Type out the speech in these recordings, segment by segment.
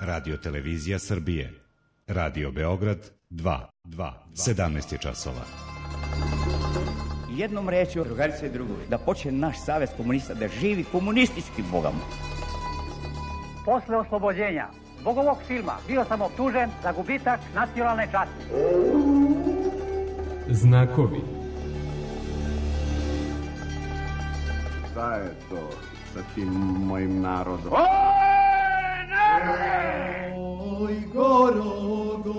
Radio Televizija Srbije. Radio Beograd 2. 17 je časova. Jednom rečju, drugarice i drugovi, da počne naš savez komunista da živi komunističkim bogom. Posle oslobođenja zbog ovog filma bio sam optužen za gubitak nacionalne časti. Znakovi. Šta je to sa tim mojim narodom? Oj, Gorogo!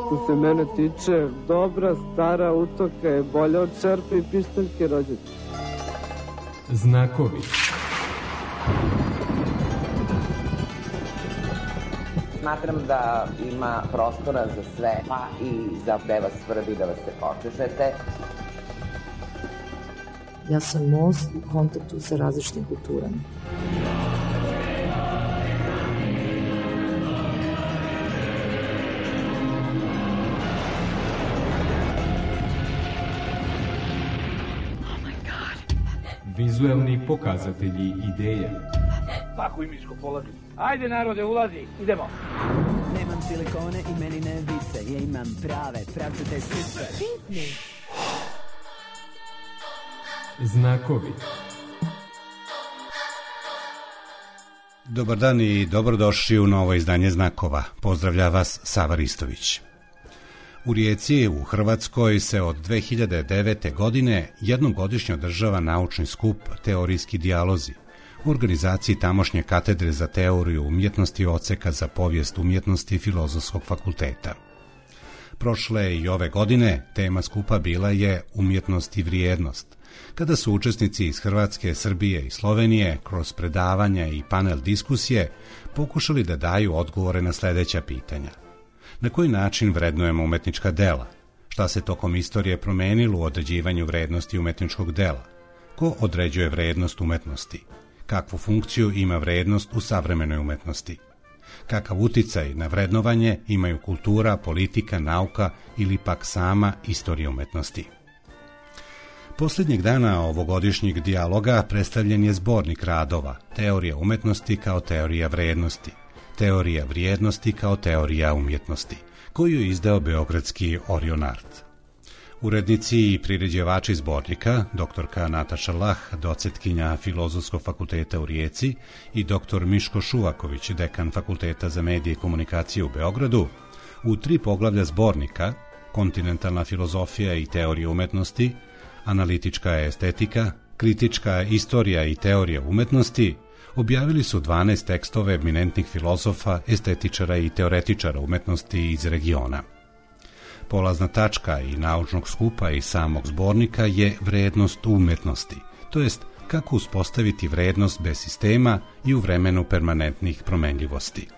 Što se mene tiče, dobra stara utoka je bolja od čerpe i pištaljke rođete. Znakovi. Smatram da ima prostora za sve, pa i za gde vas svrbi da vas se počešete. Ja sam most u kontaktu sa različitim kulturama. Vizuelni pokazatelji ideja. Pakuj Miško, polazi. Ajde narode, ulazi, idemo. Nemam silikone i meni ne vise, ja imam prave, pravcate sise. Znakovi. Dobar dan i dobrodošli u novo izdanje Znakova. Pozdravlja vas Sava Ristović. U Rijeci, u Hrvatskoj, se od 2009. godine jednom godišnje održava naučni skup Teorijski dijalozi u organizaciji tamošnje katedre za teoriju umjetnosti odseka za povijest umjetnosti Filozofskog fakulteta. Prošle i ove godine tema skupa bila je umjetnost i vrijednost, kada su učesnici iz Hrvatske, Srbije i Slovenije kroz predavanja i panel diskusije pokušali da daju odgovore na sljedeća pitanja. Na koji način vrednujemo umetnička dela? Šta se tokom istorije promenilo u određivanju vrednosti umetničkog dela? Ko određuje vrednost umetnosti? Kakvu funkciju ima vrednost u savremenoj umetnosti? Kakav uticaj na vrednovanje imaju kultura, politika, nauka ili pak sama istorija umetnosti? Posljednjeg dana ovogodišnjeg dijaloga predstavljen je zbornik radova Teorija umetnosti kao teorija vrednosti, Teorija vrijednosti kao teorija umjetnosti, koju je izdao beogradski Orion Art. Urednici i priređivači zbornika, doktorka Nataša Lah, docentkinja Filozofskog fakulteta u Rijeci, i doktor Miško Šuvaković, dekan Fakulteta za medije i komunikacije u Beogradu, u 3 poglavlja zbornika, kontinentalna filozofija i teorija umetnosti, analitička estetika, kritička istorija i teorija umetnosti, objavili su 12 tekstove eminentnih filozofa, estetičara i teoretičara umetnosti iz regiona. Polazna tačka i naučnog skupa i samog zbornika je vrednost umetnosti, to jest kako uspostaviti vrednost bez sistema i u vremenu permanentnih promenljivosti.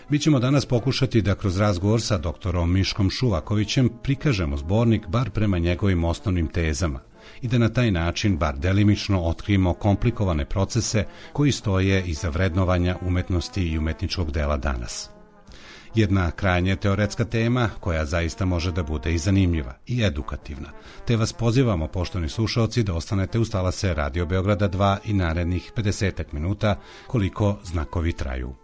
Mi ćemo danas pokušati da kroz razgovor sa doktorom Miškom Šuvakovićem prikažemo zbornik bar prema njegovim osnovnim tezama i da na taj način bar delimično otkrijemo komplikovane procese koji stoje iza vrednovanja umetnosti i umetničkog dela danas. Jedna krajnje teoretska tema koja zaista može da bude i zanimljiva i edukativna, te vas pozivamo, poštovani slušaoci, da ostanete uz talase Radio Beograda 2 i narednih 50 minuta koliko znakovi traju.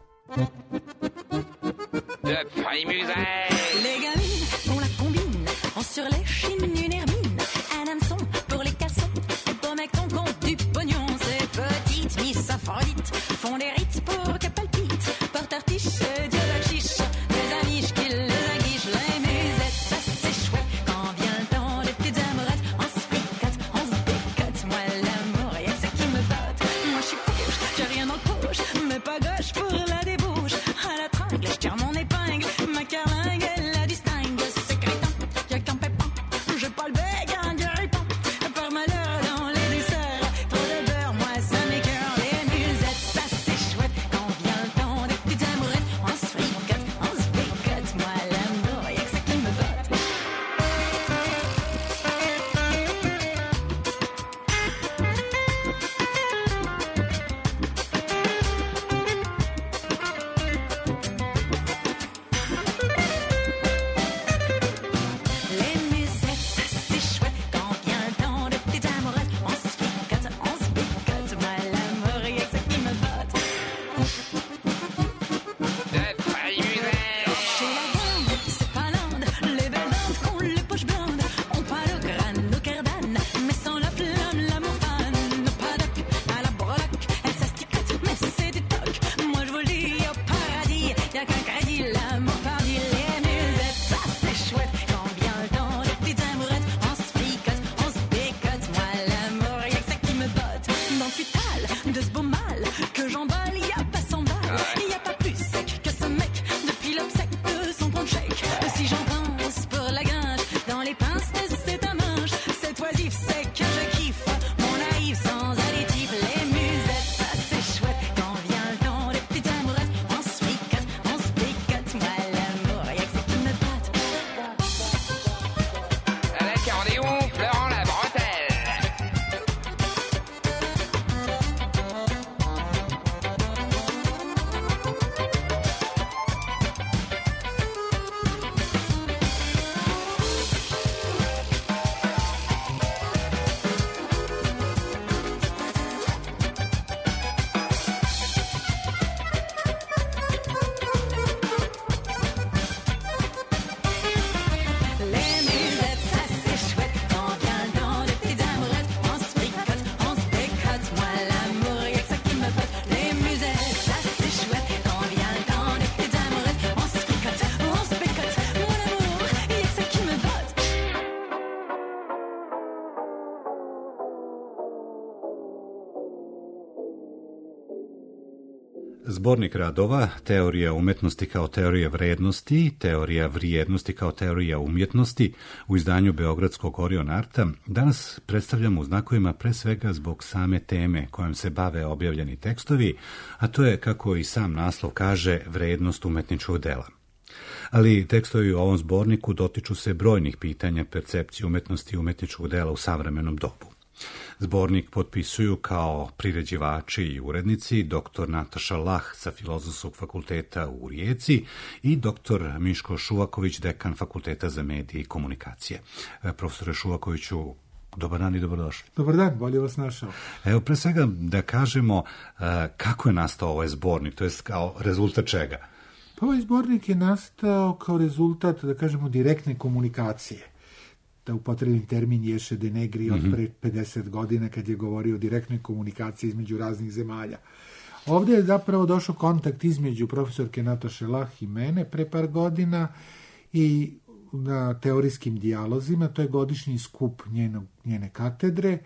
Les gamines font la combine, ont sur les chines une hermine, un hameçon pour les cassons, beau mec ton compte du pognon, ces petites miss Aphrodite font des rites pour que palpite, porte artiche, Dieu la chiche, des amiches qui les aguichent, les musettes, ça c'est chouette, quand vient le temps des petites amourettes, on se fricote, on se décote, moi l'amour, y'a que ça qui me botte, moi je suis fauche, j'ai rien dans le poche, mais pas gauche pour la débauche, à la tringle, je tire mon épingle, ma carlingue, elle la distingue, c'est crétin, y'a qu'un pépin, je Zbornik radova, teorija umetnosti kao teorija vrednosti, teorija vrijednosti kao teorija umjetnosti u izdanju Beogradskog Orion Arta danas predstavljamo u znakovima pre svega zbog same teme kojom se bave objavljeni tekstovi, a to je, kako i sam naslov kaže, vrednost umetničkog dela. Ali tekstovi u ovom zborniku dotiču se brojnih pitanja percepcije umetnosti i umetničkog dela u savremenom dobu. Zbornik potpisuju kao priređivači i urednici dr. Nataša Lah sa Filozofskog fakulteta u Rijeci i dr. Miško Šuvaković, dekan Fakulteta za medije i komunikacije. Profesore Šuvakoviću, dobar dan i dobrodošli. Dobar dan, bolje vas našao. Evo, pre svega da kažemo kako je nastao ovaj zbornik, to je kao rezultat čega? Pa ovaj zbornik je nastao kao rezultat, da kažemo, direktne komunikacije. Da upotrebim termin Ješe de Negri od pre 50 godina kad je govorio o direktnoj komunikaciji između raznih zemalja. Ovdje je zapravo došao kontakt između profesorke Nataše Lah i mene pre par godina i na teorijskim dijalozima, to je godišnji skup njene katedre,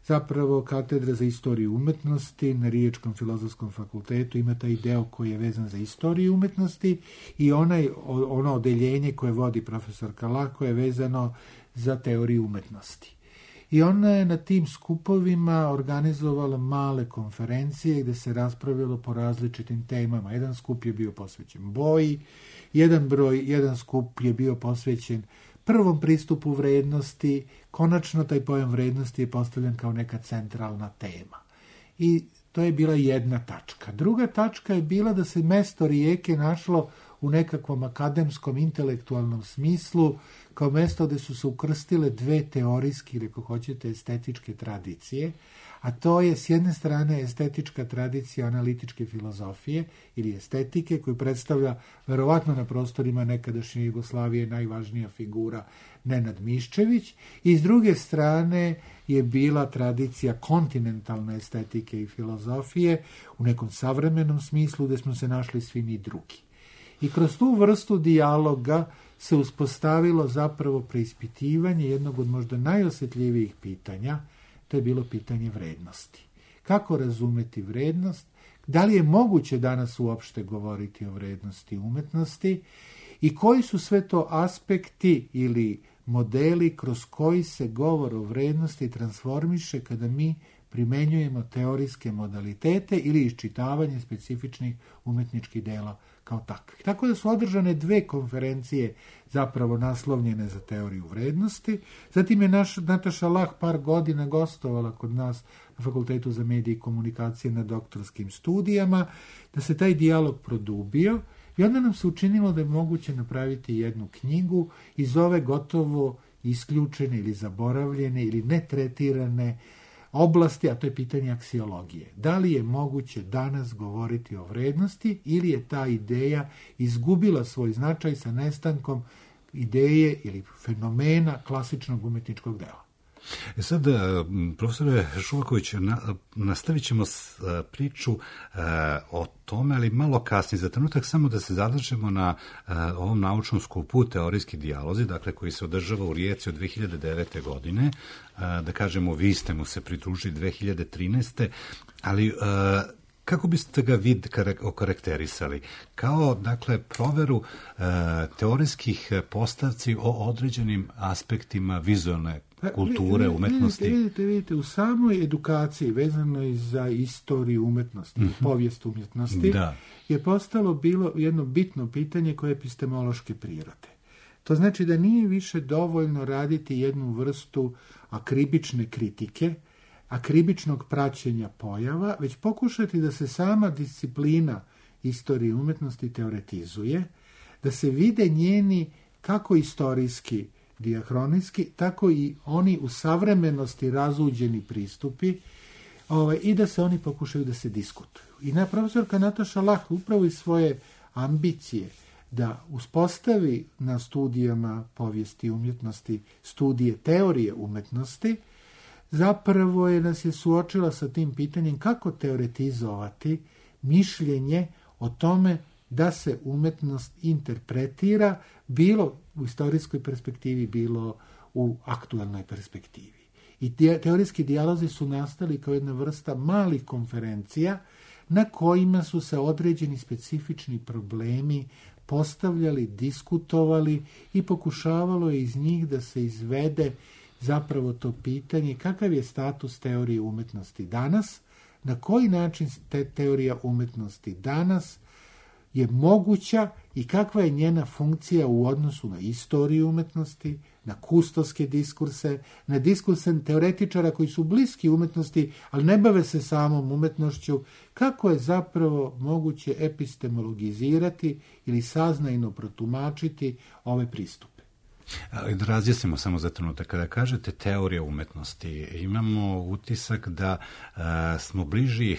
zapravo katedra za istoriju umetnosti na Riječkom filozofskom fakultetu ima taj deo koji je vezan za istoriju umetnosti i ono odeljenje koje vodi profesorka Lah koje je vezano za teoriju umetnosti. I ona je na tim skupovima organizovala male konferencije gdje se raspravljalo po različitim temama. Jedan skup je bio posvećen boji, jedan skup je bio posvećen prvom pristupu vrednosti, konačno taj pojam vrednosti je postavljen kao neka centralna tema. I to je bila jedna tačka. Druga tačka je bila da se mesto Rijeke našlo u nekakvom akademskom, intelektualnom smislu, kao mesto gdje su se ukrstile dve teorijske, ili ako hoćete, estetičke tradicije, a to je s jedne strane estetička tradicija analitičke filozofije ili estetike koju predstavlja verovatno na prostorima nekadašnje Jugoslavije najvažnija figura Nenad Miščević i s druge strane je bila tradicija kontinentalne estetike i filozofije u nekom savremenom smislu gdje smo se našli svi mi drugi. I kroz tu vrstu dijaloga se uspostavilo zapravo preispitivanje jednog od možda najosjetljivijih pitanja, to je bilo pitanje vrednosti. Kako razumeti vrednost? Da li je moguće danas uopšte govoriti o vrednosti umetnosti? I koji su sve to aspekti ili modeli kroz koji se govor o vrednosti transformiše kada mi primenjujemo teorijske modalitete ili iščitavanje specifičnih umetničkih dela kao takvih. Tako da su održane dve konferencije zapravo naslovljene za teoriju vrednosti. Zatim je Nataša Lah par godina gostovala kod nas na Fakultetu za medije i komunikacije na doktorskim studijama, da se taj dijalog produbio i onda nam se učinilo da je moguće napraviti jednu knjigu iz ove gotovo isključene ili zaboravljene ili netretirane oblasti, a to je pitanje aksiologije. Da li je moguće danas govoriti o vrednosti ili je ta ideja izgubila svoj značaj sa nestankom ideje ili fenomena klasičnog umetničkog dela? Sad, profesore Šuvaković, nastavit ćemo priču o tome, ali malo kasnije. Za trenutak samo da se zadržemo na ovom naučnom skupu teorijski dijalozi, dakle koji se održava u Rijeci od 2009. godine. Da kažemo, vi ste mu se pridružili 2013. Ali kako biste ga vi okarakterisali? Kao, dakle, proveru teorijskih postavci o određenim aspektima vizualne kulture, umetnosti. Vidite, u samoj edukaciji vezano za istoriju umetnosti, povijest umjetnosti, je bilo jedno bitno pitanje koje je epistemološke prirode. To znači da nije više dovoljno raditi jednu vrstu akribične kritike, akribičnog praćenja pojava, već pokušati da se sama disciplina istorije umjetnosti teoretizuje, da se vide njeni kako istorijski, diahronijski, tako i oni u savremenosti razuđeni pristupi i da se oni pokušaju da se diskutuju. I profesorka Nataša Lah upravo iz svoje ambicije da uspostavi na studijama povijesti umjetnosti studije teorije umjetnosti, zapravo nas je suočila sa tim pitanjem kako teoretizovati mišljenje o tome da se umjetnost interpretira bilo u istorijskoj perspektivi, bilo u aktualnoj perspektivi. I teorijski dijalozi su nastali kao jedna vrsta malih konferencija na kojima su se određeni specifični problemi postavljali, diskutovali i pokušavalo je iz njih da se izvede zapravo to pitanje kakav je status teorije umetnosti danas, na koji način teorija umetnosti danas je moguća i kakva je njena funkcija u odnosu na istoriju umetnosti, na kustovske diskurse, na diskurse teoretičara koji su bliski umetnosti, ali ne bave se samom umetnošću, kako je zapravo moguće epistemologizirati ili saznajno protumačiti ove pristupe. Ali da razjasnimo samo za trenutak. Kada kažete teorija umetnosti, imamo utisak da smo bliži,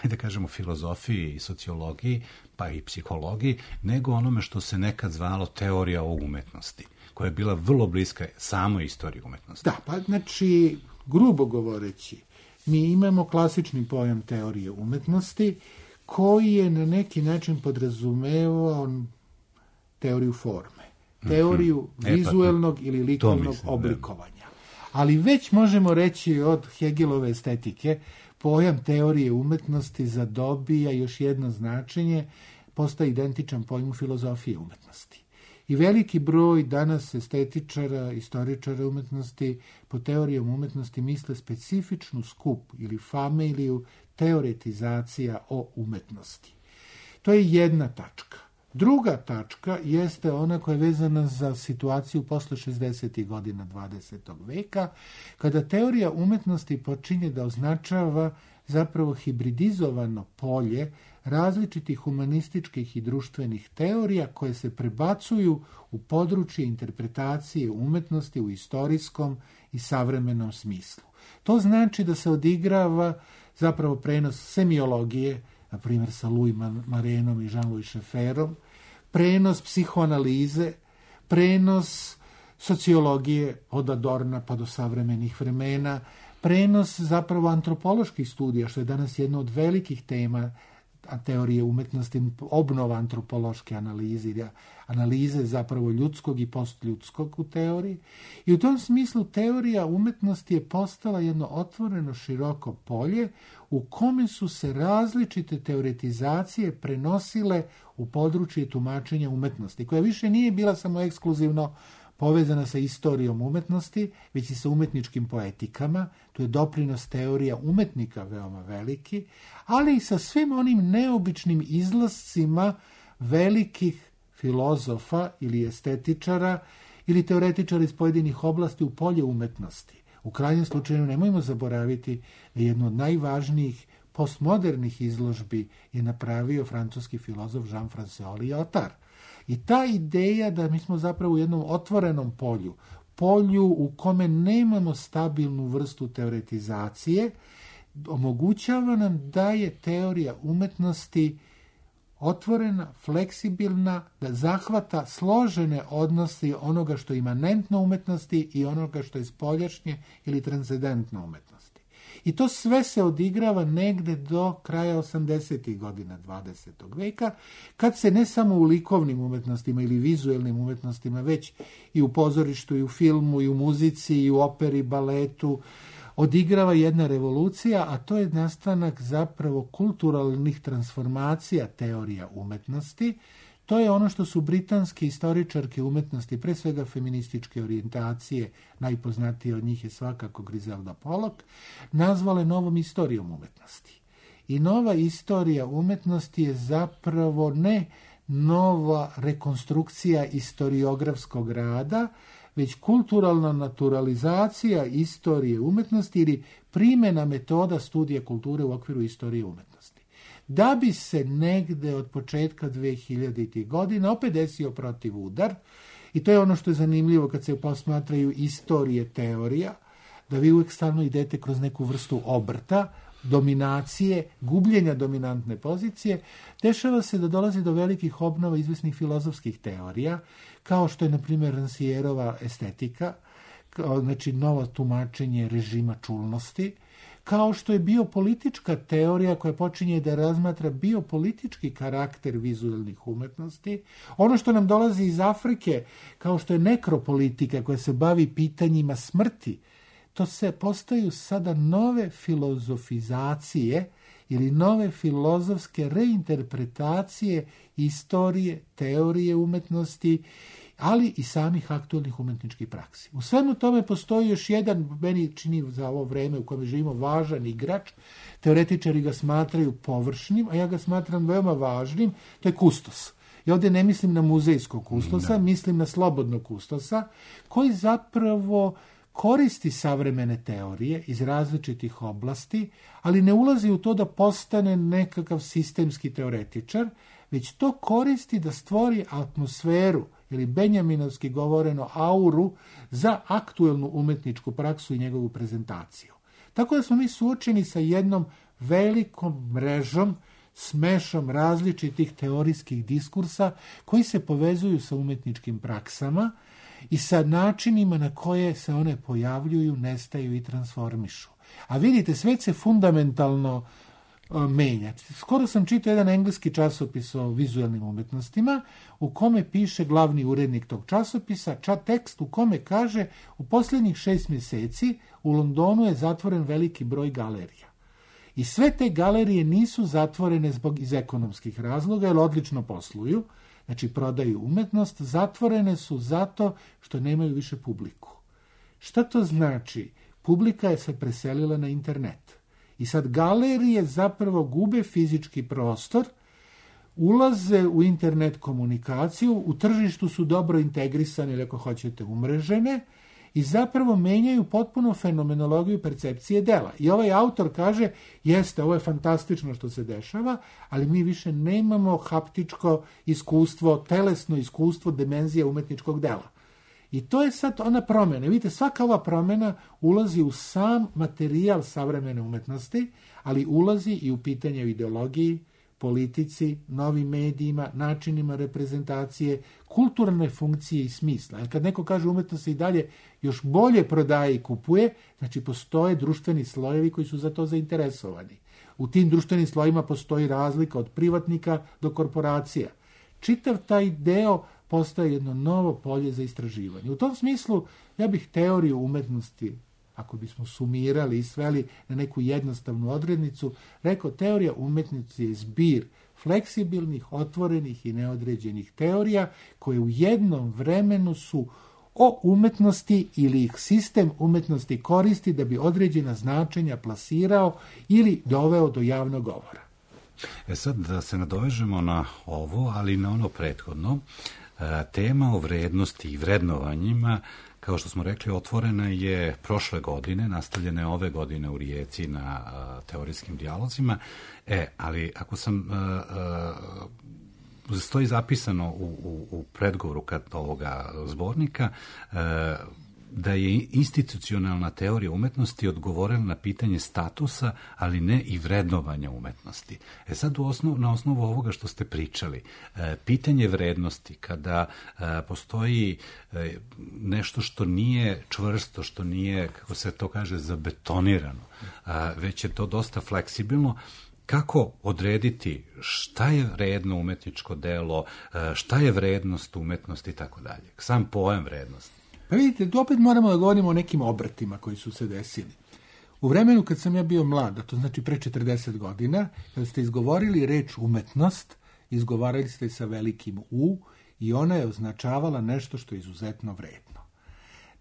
da kažemo, filozofiji i sociologiji, pa i psihologiji, nego onome što se nekad zvalo teorija o umetnosti, koja je bila vrlo bliska samoj istoriji umetnosti. Da, pa znači, grubo govoreći, mi imamo klasični pojam teorije umetnosti, koji je na neki način podrazumevao teoriju forme, teoriju vizuelnog ili likovnog oblikovanja. Ali već možemo reći od Hegelove estetike, pojam teorije umetnosti zadobija još jedno značenje, postaje identičan pojmu filozofije umetnosti. I veliki broj danas estetičara, istoričara umetnosti po teorijom umetnosti misle specifičnu skup ili familiju teoretizacija o umetnosti. To je jedna tačka. Druga tačka jeste ona koja je vezana za situaciju posle 60. godina 20. veka, kada teorija umetnosti počinje da označava zapravo hibridizovano polje različitih humanističkih i društvenih teorija koje se prebacuju u područje interpretacije umetnosti u istorijskom i savremenom smislu. To znači da se odigrava zapravo prenos semiologije, na primjer sa Louis Marenom i Jean-Louis Schefferom, prenos psihoanalize, prenos sociologije od Adorna pa do savremenih vremena, prenos zapravo antropoloških studija, što je danas jedna od velikih tema teorije umetnosti, obnova antropološke analize zapravo ljudskog i postljudskog u teoriji. I u tom smislu teorija umetnosti je postala jedno otvoreno široko polje u kome su se različite teoretizacije prenosile u područje tumačenja umetnosti, koja više nije bila samo ekskluzivno povezana sa istorijom umetnosti, već i sa umetničkim poetikama. Tu je doprinos teorija umetnika veoma veliki, ali i sa svim onim neobičnim izlascima velikih filozofa ili estetičara ili teoretičara iz pojedinih oblasti u polje umetnosti. U krajnjem slučaju nemojmo zaboraviti da jedno od najvažnijih postmodernih izložbi je napravio francuski filozof Jean-François Lyotard. I ta ideja da mi smo zapravo u jednom otvorenom polju u kome nemamo stabilnu vrstu teoretizacije, omogućava nam da je teorija umetnosti otvorena, fleksibilna, da zahvata složene odnose onoga što je imanentno umetnosti i onoga što je spoljašnje ili transcendentno umetnosti. I to sve se odigrava negde do kraja 80. godina 20. veka, kad se ne samo u likovnim umetnostima ili vizuelnim umetnostima, već i u pozorištu, i u filmu, i u muzici, i u operi, baletu, odigrava jedna revolucija, a to je nastanak zapravo kulturalnih transformacija teorija umetnosti. To je ono što su britanske istoričarke umetnosti, pre svega feminističke orijentacije, najpoznatije od njih je svakako Griselda Pollock, nazvale novom istorijom umetnosti. I nova istorija umetnosti je zapravo ne nova rekonstrukcija istoriografskog rada, već kulturalna naturalizacija istorije umetnosti ili primjena metoda studija kulture u okviru istorije umetnosti. Da bi se negde od početka 2000. godina opet desio protivudar, i to je ono što je zanimljivo kad se posmatraju istorije teorija, da vi uvijek stalno idete kroz neku vrstu obrta, dominacije, gubljenja dominantne pozicije, dešava se da dolazi do velikih obnova izvesnih filozofskih teorija, kao što je, na primjer, Rancièrova estetika, znači novo tumačenje režima čulnosti, kao što je biopolitička teorija koja počinje da razmatra biopolitički karakter vizualnih umetnosti, ono što nam dolazi iz Afrike, kao što je nekropolitika koja se bavi pitanjima smrti, to se postaju sada nove filozofizacije ili nove filozofske reinterpretacije istorije, teorije umetnosti, ali i samih aktualnih umetničkih praksi. U svemu tome postoji još jedan, meni čini za ovo vreme u kojem živimo, važan igrač. Teoretičari ga smatraju površnim, a ja ga smatram veoma važnim, to je kustos. I ovdje ne mislim na muzejskog kustosa, mislim na slobodnog kustosa, koji zapravo koristi savremene teorije iz različitih oblasti, ali ne ulazi u to da postane nekakav sistemski teoretičar, već to koristi da stvori atmosferu ili benjaminovski govoreno auru za aktuelnu umetničku praksu i njegovu prezentaciju. Tako da smo mi suočeni sa jednom velikom mrežom, smešom različitih teorijskih diskursa koji se povezuju sa umetničkim praksama i sa načinima na koje se one pojavljuju, nestaju i transformišu. A vidite, svet se fundamentalno menja. Skoro sam čitao jedan engleski časopis o vizualnim umetnostima u kome piše glavni urednik tog časopisa, tekst u kome kaže u posljednjih 6 mjeseci u Londonu je zatvoren veliki broj galerija. I sve te galerije nisu zatvorene iz ekonomskih razloga, jer odlično posluju, znači prodaju umetnost, zatvorene su zato što nemaju više publiku. Šta to znači? Publika je se preselila na internet. I sad galerije zapravo gube fizički prostor, ulaze u internet komunikaciju, u tržištu su dobro integrisane ili ako hoćete umrežene i zapravo menjaju potpuno fenomenologiju percepcije dela. I ovaj autor kaže, jeste, ovo je fantastično što se dešava, ali mi više nemamo haptičko iskustvo, telesno iskustvo dimenzije umetničkog dela. I to je sad ona promjena. Vidite, svaka ova promjena ulazi u sam materijal savremene umetnosti, ali ulazi i u pitanje o ideologiji, politici, novim medijima, načinima reprezentacije, kulturne funkcije i smisla. Jer kad neko kaže umetnost se i dalje još bolje prodaje i kupuje, znači postoje društveni slojevi koji su za to zainteresovani. U tim društvenim slojima postoji razlika od privatnika do korporacija. Čitav taj deo postaje jedno novo polje za istraživanje. U tom smislu ja bih teoriju umetnosti, ako bismo sumirali i sveli na neku jednostavnu odrednicu, rekao teorija umetnosti je zbir fleksibilnih, otvorenih i neodređenih teorija koje u jednom vremenu su o umetnosti ili ih sistem umetnosti koristi da bi određena značenja plasirao ili doveo do javnog govora. Sad da se nadovežemo na ovo, ali i na ono prethodno, tema o vrednosti i vrednovanjima, kao što smo rekli, otvorena je prošle godine, nastavljena je ove godine u Rijeci na teorijskim dijalozima, ali ako sam stoji zapisano u predgovoru ovoga zbornika, da je institucionalna teorija umetnosti odgovorila na pitanje statusa, ali ne i vrednovanja umetnosti. Sad na osnovu ovoga što ste pričali, pitanje vrednosti, kada postoji nešto što nije čvrsto, što nije, kako se to kaže, zabetonirano, već je to dosta fleksibilno, kako odrediti šta je vredno umetničko delo, šta je vrednost umetnosti i tako dalje. Sam pojam vrednosti. Pa vidite, opet moramo da govorimo o nekim obratima koji su se desili. U vremenu kad sam ja bio mlad, a to znači pre 40 godina, kada ste izgovorili reč umetnost, izgovarali ste sa velikim U i ona je označavala nešto što je izuzetno vredno.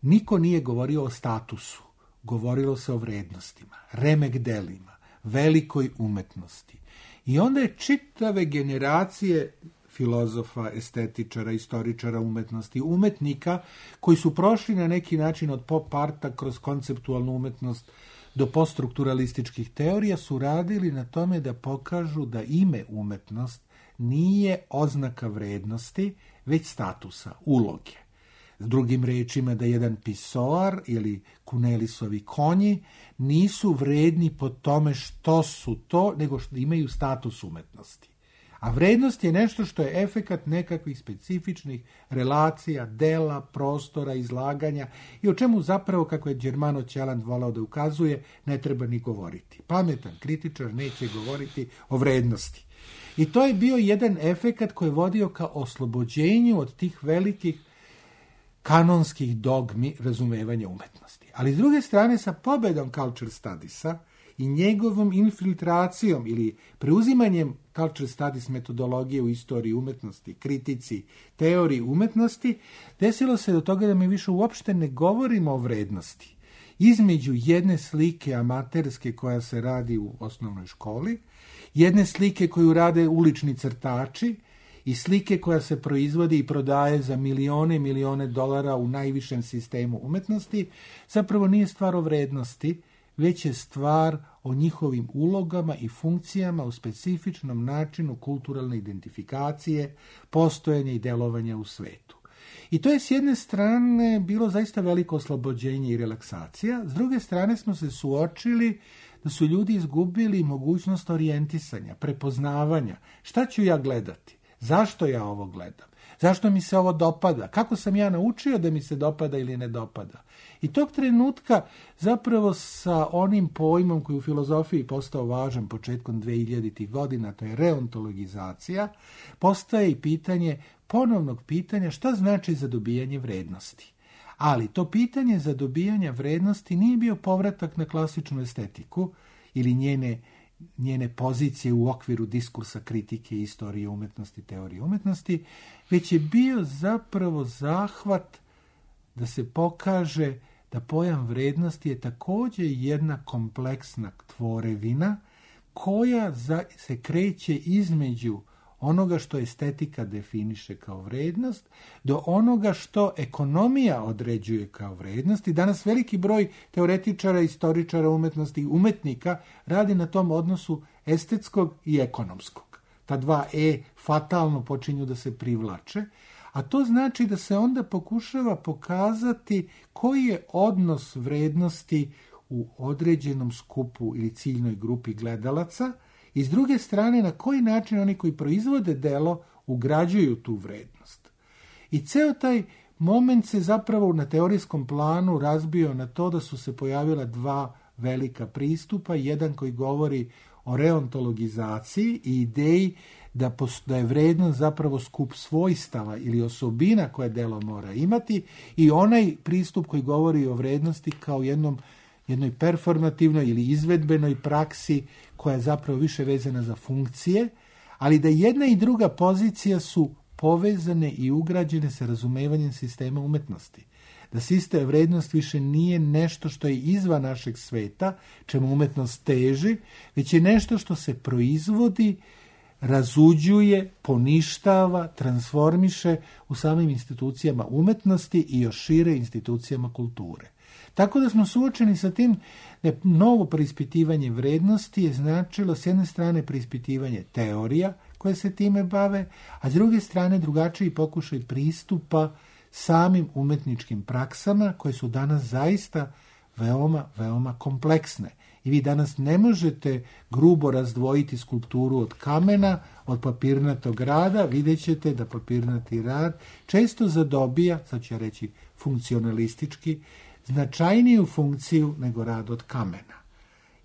Niko nije govorio o statusu, govorilo se o vrednostima, remek delima, velikoj umetnosti. I onda je čitave generacije filozofa, estetičara, istoričara umetnosti, umetnika koji su prošli na neki način od pop arta kroz konceptualnu umetnost do poststrukturalističkih teorija su radili na tome da pokažu da ime umetnost nije oznaka vrednosti, već statusa, uloge. S drugim rečima, da jedan pisoar ili Kunelisovi konji nisu vredni po tome što su to, nego što imaju status umetnosti. A vrednost je nešto što je efekat nekakvih specifičnih relacija, dela, prostora, izlaganja i o čemu zapravo, kako je Germano Ćeland volao da ukazuje, ne treba ni govoriti. Pametan kritičar neće govoriti o vrednosti. I to je bio jedan efekat koji je vodio ka oslobođenju od tih velikih kanonskih dogmi razumevanja umetnosti. Ali s druge strane, sa pobedom culture studiesa i njegovom infiltracijom ili preuzimanjem culture studies metodologije u istoriji umetnosti, kritici, teoriji umetnosti, desilo se do toga da mi više uopšte ne govorimo o vrednosti. Između jedne slike amaterske koja se radi u osnovnoj školi, jedne slike koju rade ulični crtači i slike koja se proizvodi i prodaje za milione dolara u najvišem sistemu umetnosti, zapravo nije stvar o vrednosti, već je stvar o njihovim ulogama i funkcijama u specifičnom načinu kulturalne identifikacije, postojanja i delovanja u svetu. I to je s jedne strane bilo zaista veliko oslobođenje i relaksacija, s druge strane smo se suočili da su ljudi izgubili mogućnost orijentisanja, prepoznavanja. Šta ću ja gledati? Zašto ja ovo gledam? Zašto mi se ovo dopada? Kako sam ja naučio da mi se dopada ili ne dopada? I tog trenutka zapravo sa onim pojmom koji u filozofiji postao važan početkom 2000. godina, to je reontologizacija, postaje i pitanje ponovnog pitanja šta znači za dobijanje vrednosti. Ali to pitanje za dobijanje vrednosti nije bio povratak na klasičnu estetiku ili njene pozicije u okviru diskursa kritike, istorije umetnosti, teorije umetnosti, već je bio zapravo zahvat da se pokaže da pojam vrednosti je također jedna kompleksna tvorevina koja se kreće između onoga što estetika definiše kao vrednost, do onoga što ekonomija određuje kao vrednost. I danas veliki broj teoretičara, istoričara umetnosti, umetnika radi na tom odnosu estetskog i ekonomskog. Ta dva fatalno počinju da se privlače, a to znači da se onda pokušava pokazati koji je odnos vrednosti u određenom skupu ili ciljnoj grupi gledalaca, i s druge strane na koji način oni koji proizvode delo ugrađuju tu vrednost. I ceo taj moment se zapravo na teorijskom planu razbio na to da su se pojavila dva velika pristupa, jedan koji govori o reontologizaciji i ideji da je vrednost zapravo skup svojstava ili osobina koje delo mora imati, i onaj pristup koji govori o vrednosti kao jednoj performativnoj ili izvedbenoj praksi koja je zapravo više vezana za funkcije, ali da jedna i druga pozicija su povezane i ugrađene sa razumevanjem sistema umetnosti. Da sistem vrednost više nije nešto što je izvan našeg sveta, čemu umetnost teži, već je nešto što se proizvodi, razuđuje, poništava, transformiše u samim institucijama umetnosti i još šire institucijama kulture. Tako da smo suočeni sa tim da novo preispitivanje vrednosti je značilo s jedne strane preispitivanje teorija koje se time bave, a s druge strane drugačiji pokušaj pristupa samim umetničkim praksama koje su danas zaista veoma kompleksne. I vi danas ne možete grubo razdvojiti skulpturu od kamena, od papirnatog rada. Vidjet ćete da papirnati rad često zadobija, sad ću ja reći funkcionalistički, značajniju funkciju nego rad od kamena.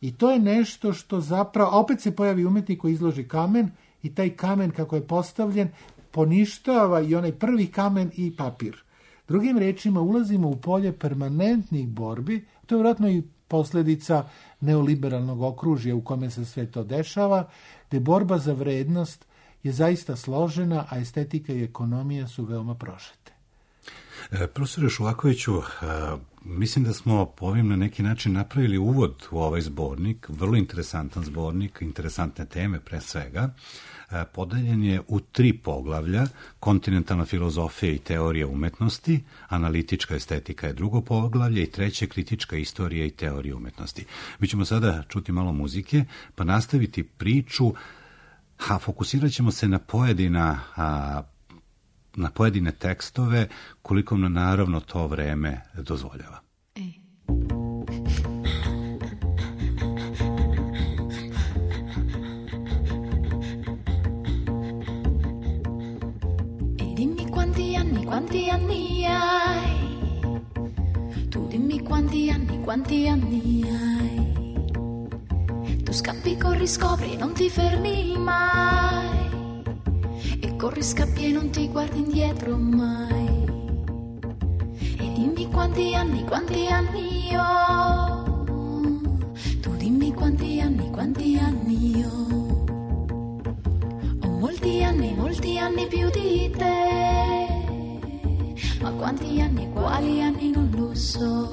I to je nešto što zapravo, opet se pojavi umetnik koji izloži kamen i taj kamen kako je postavljen poništava i onaj prvi kamen i papir. Drugim rečima, ulazimo u polje permanentnih borbi, to je vjerojatno i posljedica neoliberalnog okružja u kome se sve to dešava, gdje borba za vrednost je zaista složena, a estetika i ekonomija su veoma prožete. Profesore Šuvakoviću, mislim da smo ovim na neki način napravili uvod u ovaj zbornik, vrlo interesantan zbornik, interesantne teme pre svega. Podeljen je u 3 poglavlja: kontinentalna filozofija i teorija umetnosti, analitička estetika je drugo poglavlje i 3. kritička istorija i teorija umetnosti. Mi ćemo sada čuti malo muzike, pa nastaviti priču, a fokusirat ćemo se na pojedine tekstove, koliko nam naravno to vreme dozvoljava. Quanti anni hai? Tu dimmi quanti anni hai? Tu scappi, corri, scopri, non ti fermi mai. E corri, scappi e non ti guardi indietro mai. E dimmi quanti anni ho? Tu dimmi quanti anni io ho molti anni più di te, ma quanti anni, quali anni non lo so.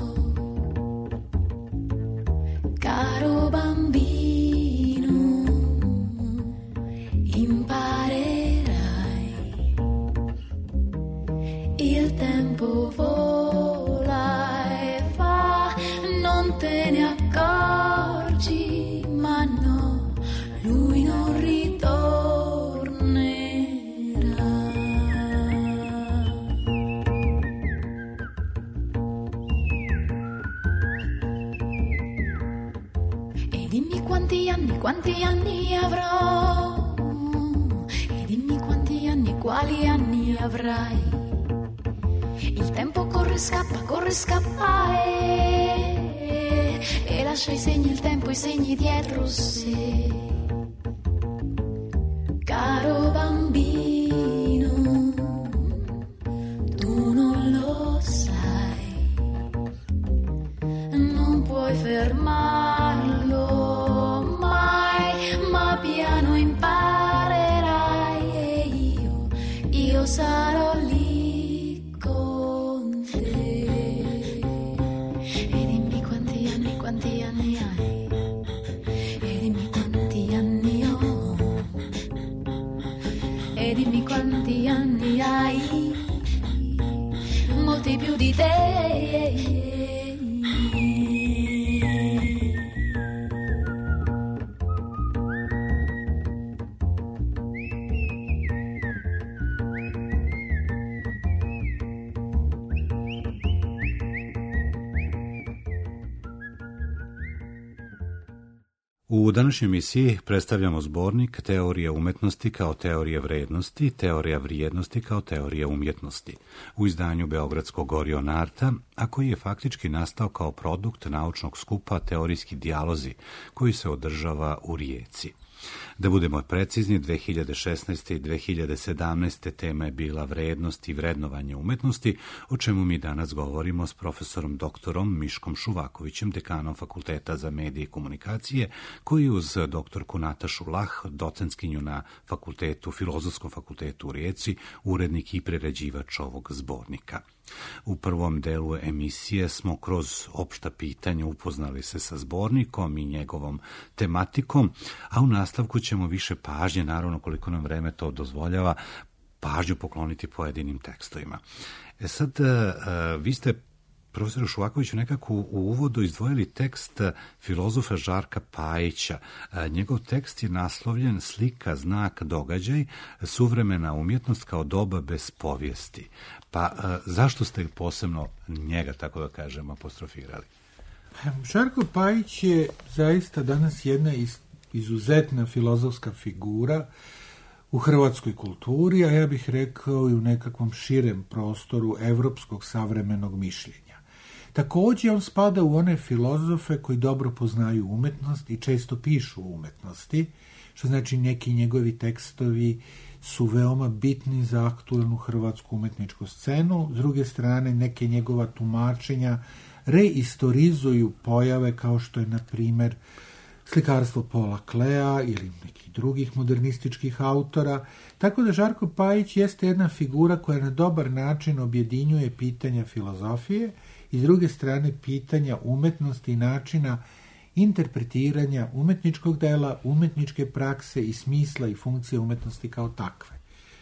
Caro bambino, imparerai, il tempo vola e va, non te ne accorgi, ma no, lui non ritornerà. E dimmi quanti anni avrò, e dimmi quanti anni, quali anni avrai. Il tempo corre, scappa e lascia i segni, il tempo i segni dietro sé. Caro bambino, tu non lo sai, non puoi fermarlo mai, ma piano imparerai e io sarò lì con te. E dimmi quanti anni hai, e dimmi quanti anni ho, e dimmi quanti anni hai, molti più di te. U današnjoj emisiji predstavljamo zbornik Teorija umetnosti kao teorija vrednosti, teorija vrijednosti kao teorija umjetnosti u izdanju Beogradskog Orion Arta, a koji je faktički nastao kao produkt naučnog skupa Teorijski dijalozi koji se održava u Rijeci. Da budemo precizni, 2016. i 2017. tema je bila vrednost i vrednovanje umetnosti, o čemu mi danas govorimo s profesorom doktorom Miškom Šuvakovićem, dekanom Fakulteta za medije i komunikacije, koji uz doktorku Natašu Lah, docentkinju na Filozofskom fakultetu u Rijeci, urednik i priređivač ovog zbornika. U prvom delu emisije smo kroz opšta pitanja upoznali se sa zbornikom i njegovom tematikom, a u nastavku ćemo više pažnje, naravno koliko nam vreme to dozvoljava, pažnju pokloniti pojedinim tekstovima. Sad, vi ste, profesoru Šuvakoviću, nekako u uvodu izdvojili tekst filozofa Žarka Pajića. Njegov tekst je naslovljen Slika, znak, događaj, suvremena umjetnost kao doba bez povijesti. Pa zašto ste posebno njega, tako da kažem, apostrofirali? Žarko Pajić je zaista danas jedna izuzetna filozofska figura u hrvatskoj kulturi, a ja bih rekao i u nekakvom širem prostoru evropskog savremenog mišljenja. Također on spada u one filozofe koji dobro poznaju umetnost i često pišu o umetnosti, što znači neki njegovi tekstovi su veoma bitni za aktualnu hrvatsku umetničku scenu. S druge strane, neke njegova tumačenja reistorizuju pojave kao što je, na primjer, slikarstvo Paula Klea ili nekih drugih modernističkih autora. Tako da Žarko Pajić jeste jedna figura koja na dobar način objedinjuje pitanja filozofije i s druge strane pitanja umetnosti i načina interpretiranja umetničkog dela, umetničke prakse i smisla i funkcije umetnosti kao takve.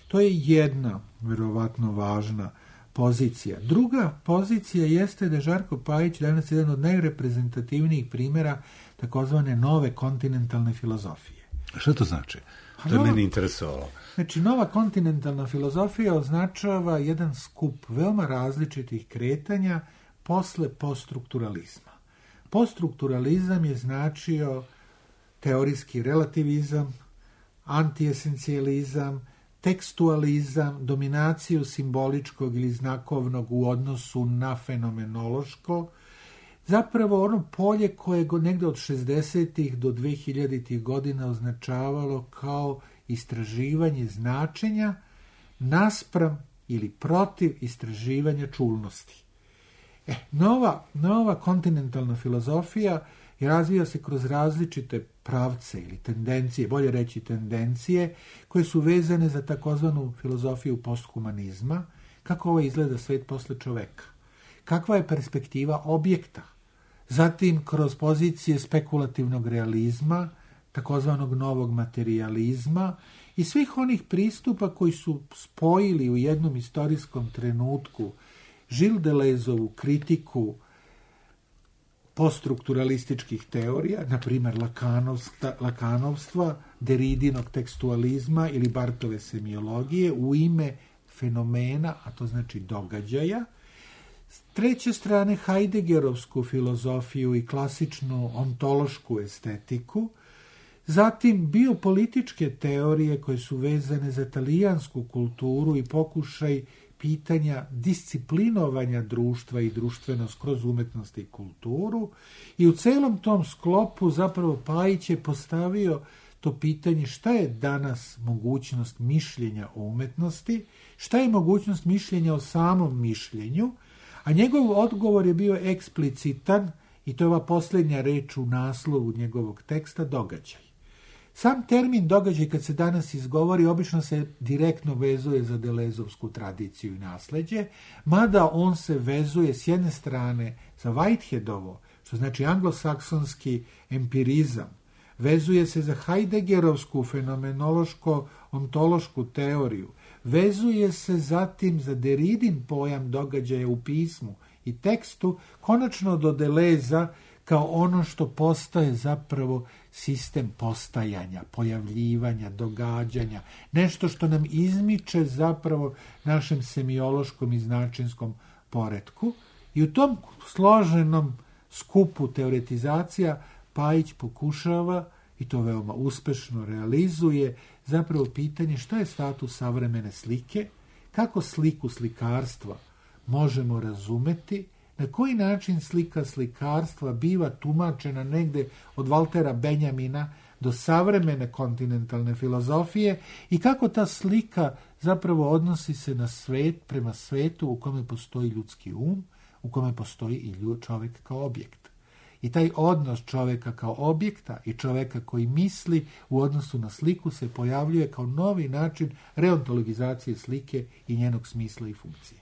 To je jedna, verovatno, važna pozicija. Druga pozicija jeste da Žarko Pajić danas jedan od najreprezentativnijih primjera takozvane nove kontinentalne filozofije. Što to znači? To je meni interesovalo. Znači, nova kontinentalna filozofija označava jedan skup veoma različitih kretanja posle poststrukturalizma. Poststrukturalizam je značio teorijski relativizam, antiesencijalizam, tekstualizam, dominaciju simboličkog ili znakovnog u odnosu na fenomenološko, zapravo ono polje koje je negde od 60. do 2000. godina označavalo kao istraživanje značenja naspram ili protiv istraživanja čulnosti. Nova kontinentalna filozofija i razvija se kroz različite pravce ili tendencije, bolje reći tendencije, koje su vezane za takozvanu filozofiju posthumanizma, kako ovo izgleda svet posle čoveka, kakva je perspektiva objekta, zatim kroz pozicije spekulativnog realizma, takozvanog novog materijalizma i svih onih pristupa koji su spojili u jednom istorijskom trenutku Gilles Deleuzeovu kritiku poststrukturalističkih teorija, na primjer lakanovstva, Deridinog tekstualizma ili Barthove semiologije u ime fenomena, a to znači događaja. S treće strane Heideggerovsku filozofiju i klasičnu ontološku estetiku, zatim biopolitičke teorije koje su vezane za talijansku kulturu i pokušaj pitanja disciplinovanja društva i društvenost kroz umetnost i kulturu, i u celom tom sklopu zapravo Pajić je postavio to pitanje šta je danas mogućnost mišljenja o umetnosti, šta je mogućnost mišljenja o samom mišljenju, a njegov odgovor je bio eksplicitan i to je ova posljednja reč u naslovu njegovog teksta, događaj. Sam termin događaj kad se danas izgovori obično se direktno vezuje za Deleuzeovsku tradiciju i nasleđe, mada on se vezuje s jedne strane za Whiteheadovo, što znači anglosaksonski empirizam, vezuje se za Heideggerovsku fenomenološko-ontološku teoriju, vezuje se zatim za Deridin pojam događaja u pismu i tekstu, konačno do Deleza kao ono što postaje zapravo sistem postajanja, pojavljivanja, događanja, nešto što nam izmiče zapravo našem semiološkom i značinskom poretku. I u tom složenom skupu teoretizacija Pajić pokušava, i to veoma uspešno realizuje, zapravo pitanje šta je status savremene slike, kako sliku slikarstva možemo razumeti, na koji način slika slikarstva biva tumačena negde od Valtera Benjamina do savremene kontinentalne filozofije i kako ta slika zapravo odnosi se na svet, prema svetu u kome postoji ljudski um, u kome postoji i čovjek kao objekt. I taj odnos čovjeka kao objekta i čovjeka koji misli u odnosu na sliku se pojavljuje kao novi način reontologizacije slike i njenog smisla i funkcije.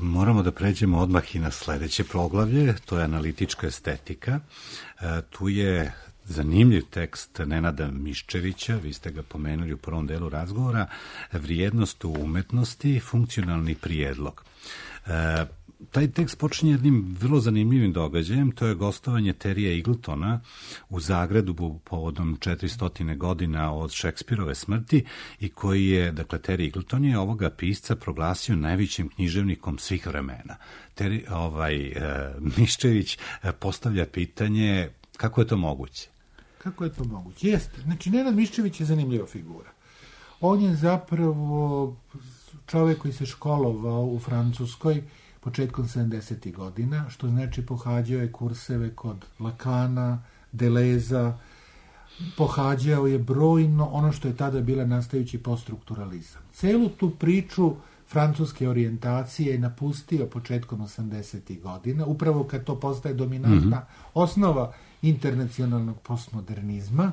Moramo da pređemo odmah i na sledeće poglavlje, to je analitička estetika. Tu je zanimljiv tekst Nenada Miščevića, vi ste ga pomenuli u prvom delu razgovora, vrijednost u umetnosti, funkcionalni prijedlog. Taj tekst počinje jednim vrlo zanimljivim događajem, to je gostovanje Terija Egletona u Zagrebu povodom 400 godina od Šekspirove smrti i koji je, dakle, Terry Egleton je ovoga pisca proglasio najvećim književnikom svih vremena. Miščević postavlja pitanje kako je to moguće? Kako je to moguće? Jeste. Znači, Nenad Miščević je zanimljiva figura. On je zapravo čovjek koji se školovao u Francuskoj početkom 70. godina, što znači pohađao je kurseve kod Lakana, Deleza, pohađao je brojno ono što je tada bila nastajući poststrukturalizam. Celu tu priču francuske orijentacije je napustio početkom 80. godina, upravo kad to postaje dominantna osnova internacionalnog postmodernizma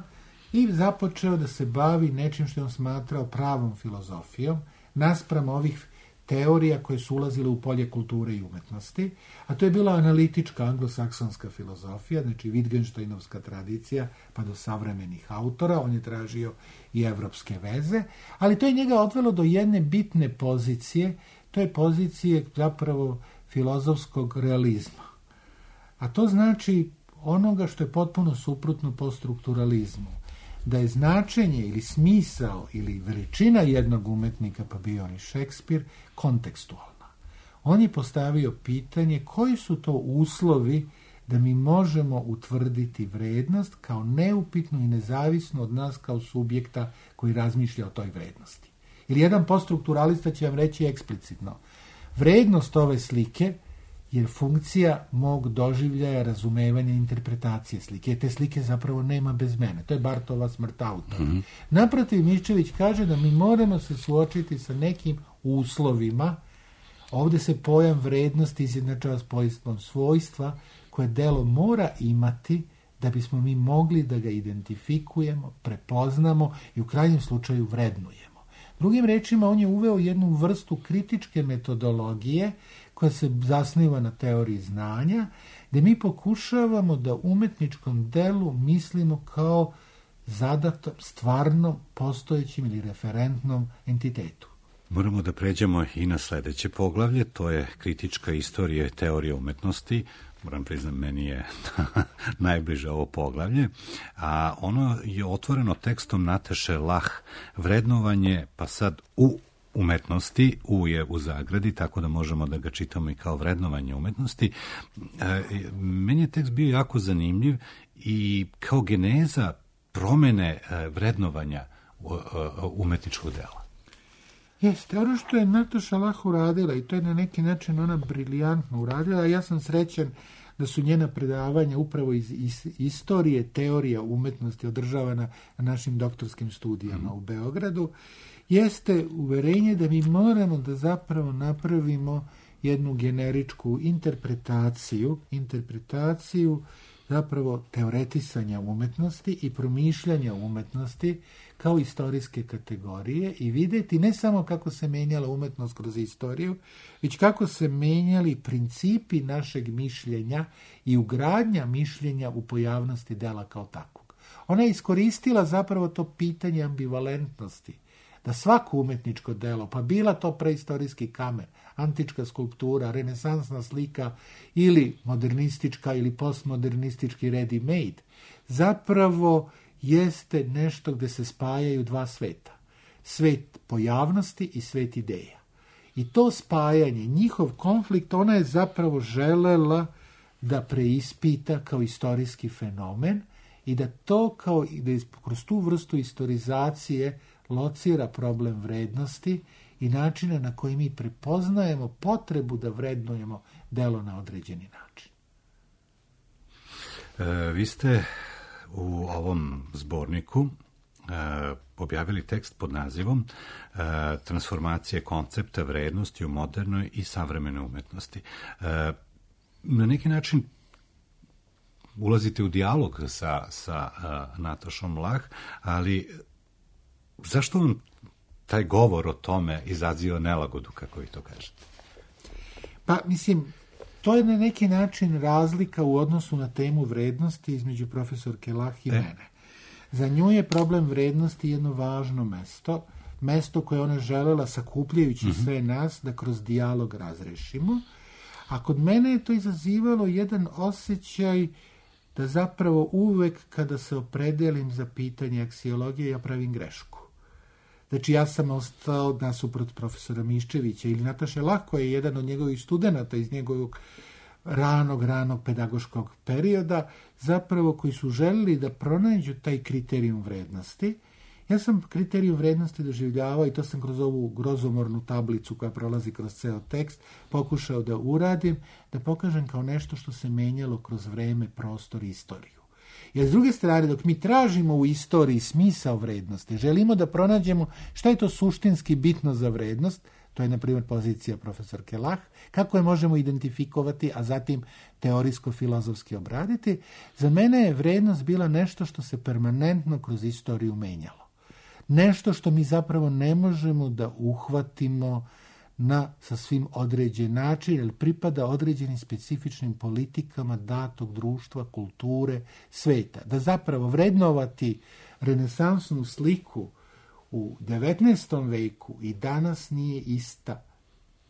i započeo da se bavi nečim što je on smatrao pravom filozofijom, naspram ovih teorija koje su ulazile u polje kulture i umetnosti, a to je bila analitička anglosaksonska filozofija, znači Wittgensteinovska tradicija, pa do savremenih autora, on je tražio i evropske veze, ali to je njega odvelo do jedne bitne pozicije, to je pozicije zapravo filozofskog realizma. A to znači onoga što je potpuno suprotno poststrukturalizmu, da je značenje ili smisao ili veličina jednog umetnika, pa bio on i Šekspir, kontekstualna. On je postavio pitanje koji su to uslovi da mi možemo utvrditi vrednost kao neupitnu i nezavisno od nas kao subjekta koji razmišlja o toj vrednosti. Ili jedan poststrukturalista će vam reći eksplicitno, vrednost ove slike je funkcija mog doživljaja, razumevanja, interpretacije slike. Te slike zapravo nema bez mene. To je Barthova smrt autora. Naprotiv, Miščević kaže da mi moramo se suočiti sa nekim uslovima. Ovdje se pojam vrednosti izjednačava s pojmom svojstva koje delo mora imati da bismo mi mogli da ga identifikujemo, prepoznamo i u krajnjem slučaju vrednujemo. Drugim rečima, on je uveo jednu vrstu kritičke metodologije koja se zasniva na teoriji znanja, gde mi pokušavamo da umetničkom delu mislimo kao zadatom, stvarno postojećim ili referentnom entitetu. Moramo da pređemo i na sledeće poglavlje, to je kritička istorija teorije umetnosti. Moram priznam, meni je najbliže ovo poglavlje, a ono je otvoreno tekstom Nataše Lah, vrednovanje, pa sad u umetnosti, U je u zagradi, tako da možemo da ga čitamo i kao vrednovanje umetnosti. Meni je tekst bio jako zanimljiv i kao geneza promene vrednovanja umetničkog dela. Jeste, ono što je Nataša Lah uradila, i to je na neki način ona briljantno uradila, ja sam srećan da su njena predavanja upravo iz istorije, teorija umetnosti održavana na našim doktorskim studijama u Beogradu, jeste uverenje da mi moramo da zapravo napravimo jednu generičku interpretaciju zapravo teoretisanja umetnosti i promišljanja umetnosti kao istorijske kategorije i vidjeti ne samo kako se menjala umetnost kroz istoriju, već kako se menjali principi našeg mišljenja i ugradnja mišljenja u pojavnosti dela kao takvog. Ona je iskoristila zapravo to pitanje ambivalentnosti, da svako umetničko delo, pa bila to preistorijski kamen, antička skulptura, renesansna slika ili modernistička ili postmodernistički ready-made, zapravo jeste nešto gde se spajaju dva sveta. Svet pojavnosti i svet ideja. I to spajanje, njihov konflikt, ona je zapravo želela da preispita kao istorijski fenomen i da to kao da kroz tu vrstu istorizacije locira problem vrednosti i načina na koji mi prepoznajemo potrebu da vrednujemo delo na određeni način. Vi ste u ovom zborniku objavili tekst pod nazivom Transformacije koncepta vrednosti u modernoj i savremenoj umetnosti. Na neki način ulazite u dijalog sa Natašom Lah, ali zašto vam taj govor o tome izaziva nelagodu, kako vi to kažete? Pa, mislim, to je na neki način razlika u odnosu na temu vrednosti između profesorke Lah i mene. Za nju je problem vrednosti jedno važno mesto koje ona želela sakupljajući sve nas da kroz dijalog razrešimo, a kod mene je to izazivalo jedan osjećaj da zapravo uvek kada se opredelim za pitanje aksiologije ja pravim grešku. Znači, ja sam ostao nasuprot profesora Miščevića ili Nataše Lah, koja je jedan od njegovih studenata iz njegovog ranog pedagoškog perioda, zapravo koji su želeli da pronađu taj kriterijum vrednosti. Ja sam kriterijum vrednosti doživljavao, i to sam kroz ovu grozomornu tablicu koja prolazi kroz ceo tekst, pokušao da uradim, da pokažem kao nešto što se menjalo kroz vreme, prostor i istoriju. Jer s druge strane, dok mi tražimo u istoriji smisao vrednosti, želimo da pronađemo šta je to suštinski bitno za vrednost, to je, na primjer, pozicija profesorke Lah, kako je možemo identifikovati, a zatim teorijsko-filozofski obraditi, za mene je vrednost bila nešto što se permanentno kroz istoriju menjalo. Nešto što mi zapravo ne možemo da uhvatimo na sasvim određen način, jer pripada određenim specifičnim politikama datog društva, kulture, sveta. Da zapravo vrednovati renesansnu sliku u 19. veku i danas nije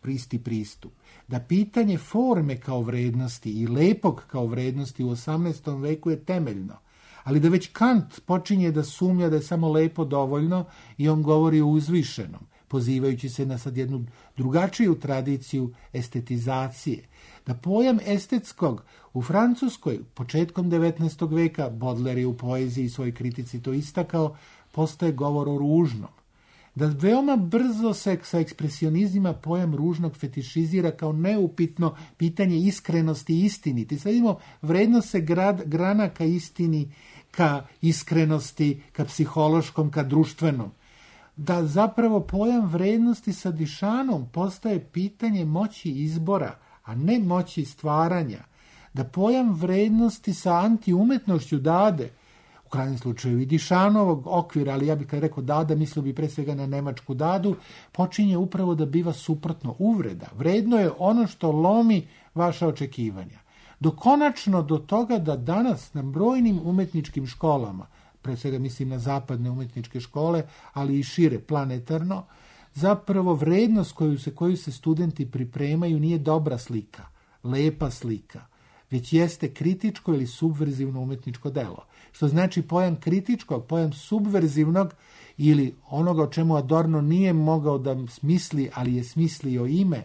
isti pristup. Da pitanje forme kao vrednosti i lepog kao vrednosti u 18. veku je temeljno. Ali da već Kant počinje da sumnja da je samo lepo dovoljno i on govori o uzvišenom, pozivajući se na sad jednu drugačiju tradiciju estetizacije. Da pojam estetskog u Francuskoj početkom 19. veka, Baudelaire je u poeziji i svojoj kritici to istakao, postaje govor o ružnom. Da veoma brzo se sa ekspresionizmima pojam ružnog fetišizira kao neupitno pitanje iskrenosti i istiniti. Sad imamo, vrednost se grana ka istini, ka iskrenosti, ka psihološkom, ka društvenom. Da zapravo pojam vrednosti sa Dišanom postaje pitanje moći izbora, a ne moći stvaranja. da pojam vrednosti sa antiumetnošću dade, u krajnjem slučaju i Dišanovog okvira, ali ja bih kad rekao dada, mislio bi pre svega na nemačku dadu, počinje upravo da biva suprotno uvreda. Vredno je ono što lomi vaša očekivanja. Do konačno do toga da danas na brojnim umetničkim školama, pre svega mislim na zapadne umetničke škole, ali i šire planetarno, zapravo vrednost koju se studenti pripremaju nije dobra slika, lepa slika, već jeste kritičko ili subverzivno umetničko delo. Što znači pojam kritičkog, pojam subverzivnog ili onoga o čemu Adorno nije mogao da smisli, ali je smislio ime,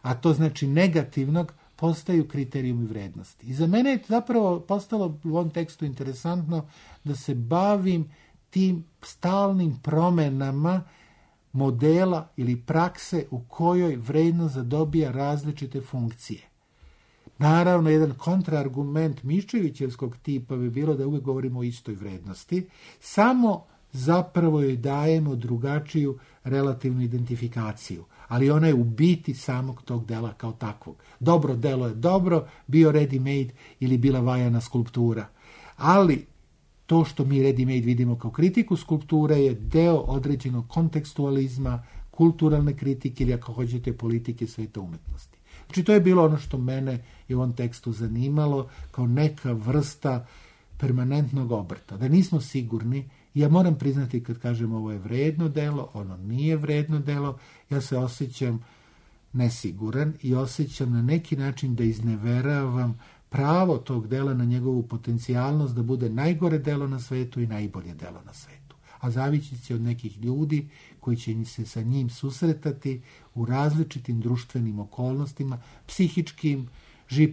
a to znači negativnog, postaju kriterijumi vrednosti. I za mene je zapravo postalo u ovom tekstu interesantno da se bavim tim stalnim promenama modela ili prakse u kojoj vrednost zadobija različite funkcije. Naravno, jedan kontraargument Miščevićevskog tipa bi bilo da uvijek govorimo o istoj vrednosti, samo zapravo joj dajemo drugačiju relativnu identifikaciju, ali ona je u biti samog tog dela kao takvog. Dobro delo je dobro, bio ready-made ili bila vajana skulptura, ali to što mi ready-made vidimo kao kritiku skulpture je deo određenog kontekstualizma, kulturalne kritike ili ako hoćete politike sveta umetnosti. Znači to je bilo ono što mene je u ovom tekstu zanimalo kao neka vrsta permanentnog obrta. Da nismo sigurni, ja moram priznati kad kažem ovo je vredno delo, ono nije vredno delo, ja se osjećam nesiguran i osjećam na neki način da izneveravam pravo tog dela na njegovu potencijalnost da bude najgore delo na svetu i najbolje delo na svetu. A zavisit će od nekih ljudi koji će se sa njim susretati u različitim društvenim okolnostima, psihičkim,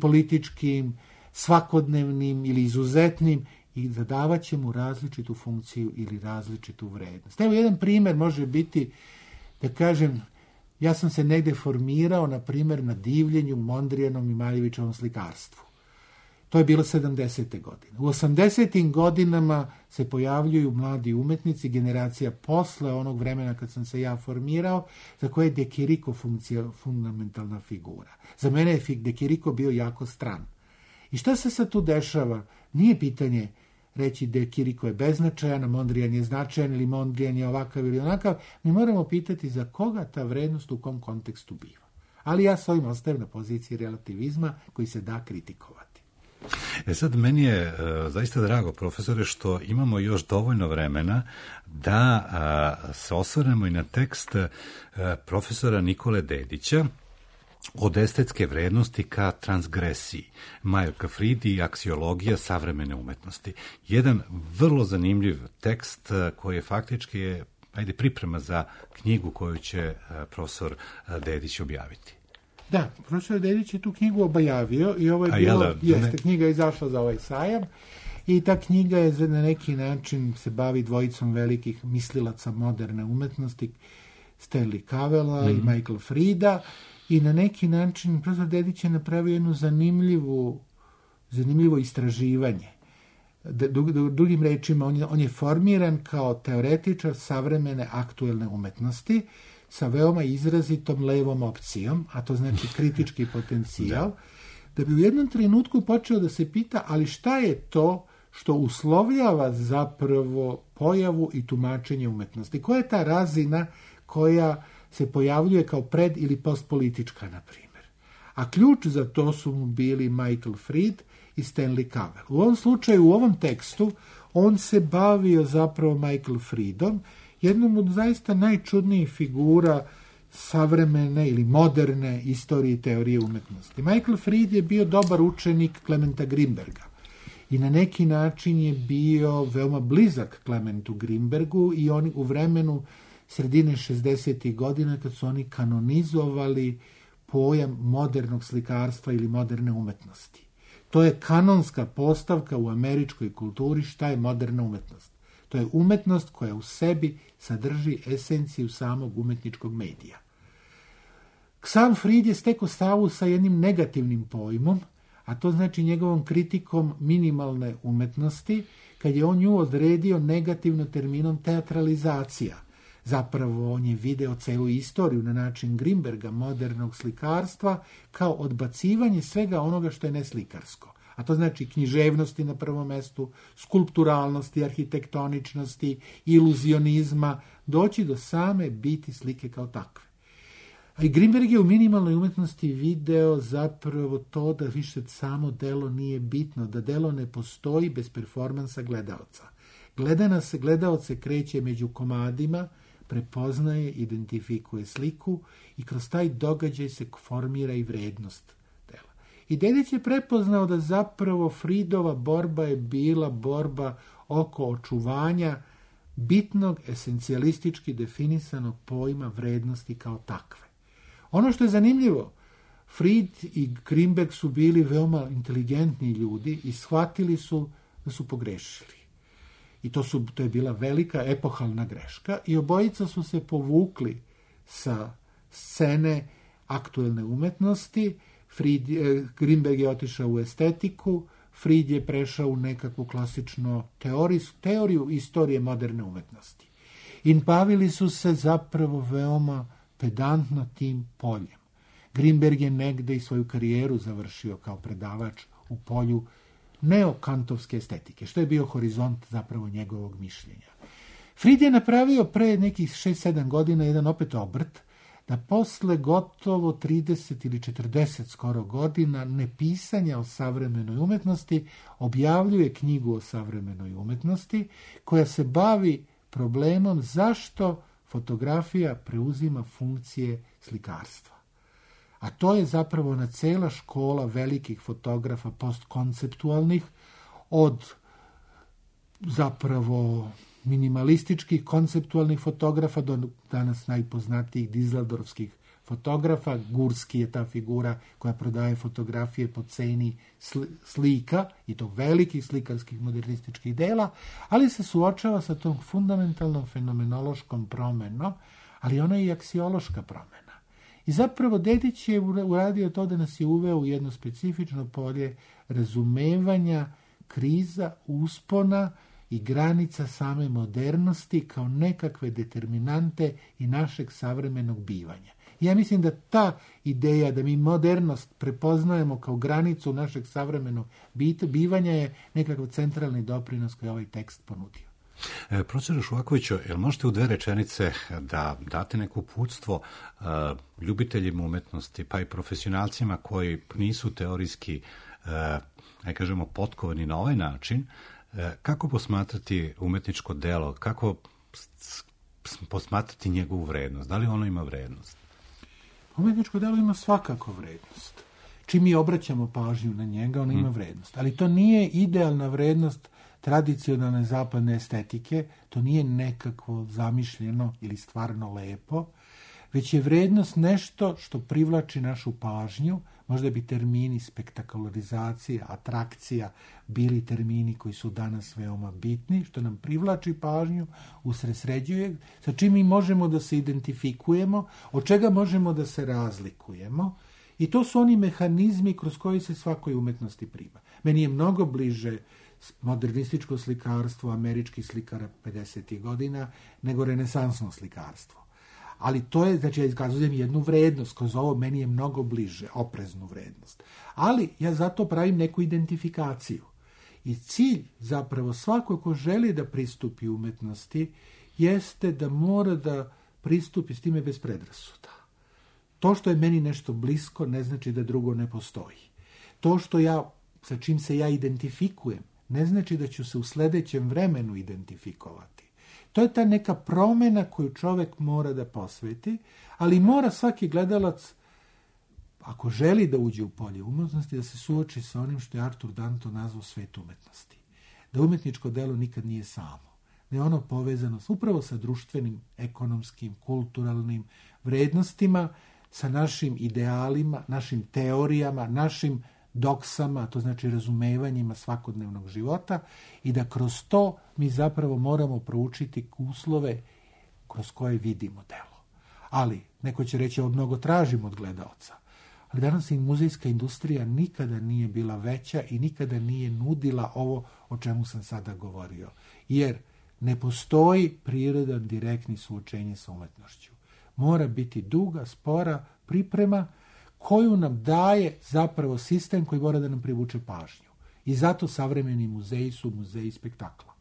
političkim, svakodnevnim ili izuzetnim i zadavat će mu različitu funkciju ili različitu vrednost. Evo jedan primjer može biti, da kažem, ja sam se negde formirao, na primjer, na divljenju Mondrijanom i Maljevićevom slikarstvu. To je bilo 70. godine. U 80. godinama se pojavljuju mladi umetnici, generacija posle onog vremena kad sam se ja formirao, za koje je De Chirico fundamentalna figura. Za mene je De Chirico bio jako stran. I šta se sad tu dešava? Nije pitanje reći De Chirico je beznačajan, a Mondrijan je značajan ili Mondrijan je ovakav ili onakav. Mi moramo pitati za koga ta vrednost u kom kontekstu biva. Ali ja s ovim ostajem na poziciji relativizma koji se da kritikovati. Sad, meni je zaista drago, profesore, što imamo još dovoljno vremena da se osvrnemo i na tekst profesora Nikole Dedića Od estetske vrednosti ka transgresiji. Majorka Fridi i aksiologija savremene umetnosti. Jedan vrlo zanimljiv tekst koji je faktički priprema za knjigu koju će profesor Dedić objaviti. Da, profesor Dedić je tu knjigu objavio i ovo je bilo, knjiga je izašla za ovaj sajam i ta knjiga je na neki način se bavi dvojicom velikih mislilaca moderne umetnosti, Stanley Cavella i Michael Frida, i na neki način profesor Dedić je napravio jedno zanimljivo istraživanje. Drugim rečima, on je formiran kao teoretičar savremene aktuelne umetnosti sa veoma izrazitom levom opcijom, a to znači kritički potencijal, da bi u jednom trenutku počeo da se pita, ali šta je to što uslovljava zapravo pojavu i tumačenje umetnosti? Koja je ta razina koja se pojavljuje kao pred- ili postpolitička, na primjer? A ključ za to su mu bili Michael Fried i Stanley Cavell. U ovom slučaju, u ovom tekstu, on se bavio zapravo Michael Friedom, jednom od zaista najčudnijih figura savremene ili moderne istorije i teorije umetnosti. Michael Fried je bio dobar učenik Klementa Grimberga i na neki način je bio veoma blizak Klementu Grimbergu i oni u vremenu sredine 60. godina kad su oni kanonizovali pojam modernog slikarstva ili moderne umetnosti. To je kanonska postavka u američkoj kulturi šta je moderna umetnost. To je umetnost koja u sebi sadrži esenciju samog umetničkog medija. Sam Fried je stekao stavu sa jednim negativnim pojmom, a to znači njegovom kritikom minimalne umetnosti, kad je on nju odredio negativno terminom teatralizacija. Zapravo on je video celu istoriju na način Grimberga modernog slikarstva kao odbacivanje svega onoga što je neslikarsko. a to znači književnosti na prvom mestu, skulpturalnosti, arhitektoničnosti, iluzionizma, doći do same biti slike kao takve. A i Grinberg je u minimalnoj umetnosti video zapravo to da više samo delo nije bitno, da delo ne postoji bez performansa gledaoca. Gledaoc se kreće među komadima, prepoznaje, identifikuje sliku i kroz taj događaj se formira i vrednost dela. I Dedić je prepoznao da zapravo Fridova borba je bila borba oko očuvanja bitnog, esencijalistički definisanog pojma vrednosti kao takve. Ono što je zanimljivo, Fried i Grinberg su bili veoma inteligentni ljudi i shvatili su da su pogrešili. I to je bila velika epohalna greška i obojica su se povukli sa scene aktuelne umetnosti. Grinberg je otišao u estetiku, Fried je prešao u nekakvu klasičnu teoriju istorije moderne umetnosti. I bavili su se zapravo veoma pedantno tim poljem. Grinberg je negde i svoju karijeru završio kao predavač u polju neokantovske estetike, što je bio horizont zapravo njegovog mišljenja. Fried je napravio pre nekih 6-7 godina jedan opet obrt, da posle gotovo 30 ili 40 skoro godina nepisanja o savremenoj umetnosti objavljuje knjigu o savremenoj umetnosti koja se bavi problemom zašto fotografija preuzima funkcije slikarstva. A to je zapravo ona cela škola velikih fotografa postkonceptualnih, od zapravo minimalističkih konceptualnih fotografa do danas najpoznatijih dizeldorfskih fotografa. Gurski je ta figura koja prodaje fotografije po ceni slika, i to velikih slikarskih modernističkih dela, ali se suočava sa tom fundamentalnom fenomenološkom promenom, ali ona je i aksiološka promena. I zapravo Dedić je uradio to da nas je uveo u jedno specifično polje razumevanja kriza, uspona i granica same modernosti kao nekakve determinante i našeg savremenog bivanja. Ja mislim da ta ideja da mi modernost prepoznajemo kao granicu našeg savremenog bivanja je nekakav centralni doprinos koji ovaj tekst ponudio. Profesor Šuvakoviću, jel možete u 2 rečenice da date neko uputstvo ljubiteljima umetnosti, pa i profesionalcima koji nisu teorijski, kažemo, potkovani na ovaj način, kako posmatrati umetničko delo, kako posmatrati njegovu vrednost, da li ono ima vrednost? Umetničko delo ima svakako vrednost. Čim mi obraćamo pažnju na njega, ono ima vrednost. Ali to nije idealna vrednost tradicionalne zapadne estetike, to nije nekakvo zamišljeno ili stvarno lepo, već je vrednost nešto što privlači našu pažnju. Možda bi termini spektakularizacija, atrakcija bili termini koji su danas veoma bitni, što nam privlači pažnju, usredsređuje, sa čim mi možemo da se identifikujemo, od čega možemo da se razlikujemo, i to su oni mehanizmi kroz koji se svakoj umetnosti prima. Meni je mnogo bliže modernističko slikarstvo američkih slikara 50. godina nego renesansno slikarstvo. Ali to je, znači ja iskazujem jednu vrednost, kroz ovo meni je mnogo bliže, opreznu vrednost. Ali ja zato pravim neku identifikaciju. I cilj zapravo svako ko želi da pristupi umetnosti jeste da mora da pristupi s time bez predrasuda. To što je meni nešto blisko ne znači da drugo ne postoji. To što sa čim se ja identifikujem ne znači da ću se u sledećem vremenu identifikovati. To je ta neka promena koju čovek mora da posveti, ali mora svaki gledalac, ako želi da uđe u polje umetnosti, da se suoči sa onim što je Artur Danto nazvao svet umetnosti. Da umetničko delo nikad nije samo. Da je ono povezano upravo sa društvenim, ekonomskim, kulturalnim vrednostima, sa našim idealima, našim teorijama, našim doksama, to znači razumevanjima svakodnevnog života, i da kroz to mi zapravo moramo proučiti uslove kroz koje vidimo delo. Ali, neko će reći, ovo mnogo tražimo od gledaoca. Ali danas i muzejska industrija nikada nije bila veća i nikada nije nudila ovo o čemu sam sada govorio. Jer ne postoji prirodan direktni suočenje sa umetnošću. Mora biti duga, spora priprema koju nam daje zapravo sistem koji mora da nam privuče pažnju. I zato savremeni muzeji su muzeji spektakla.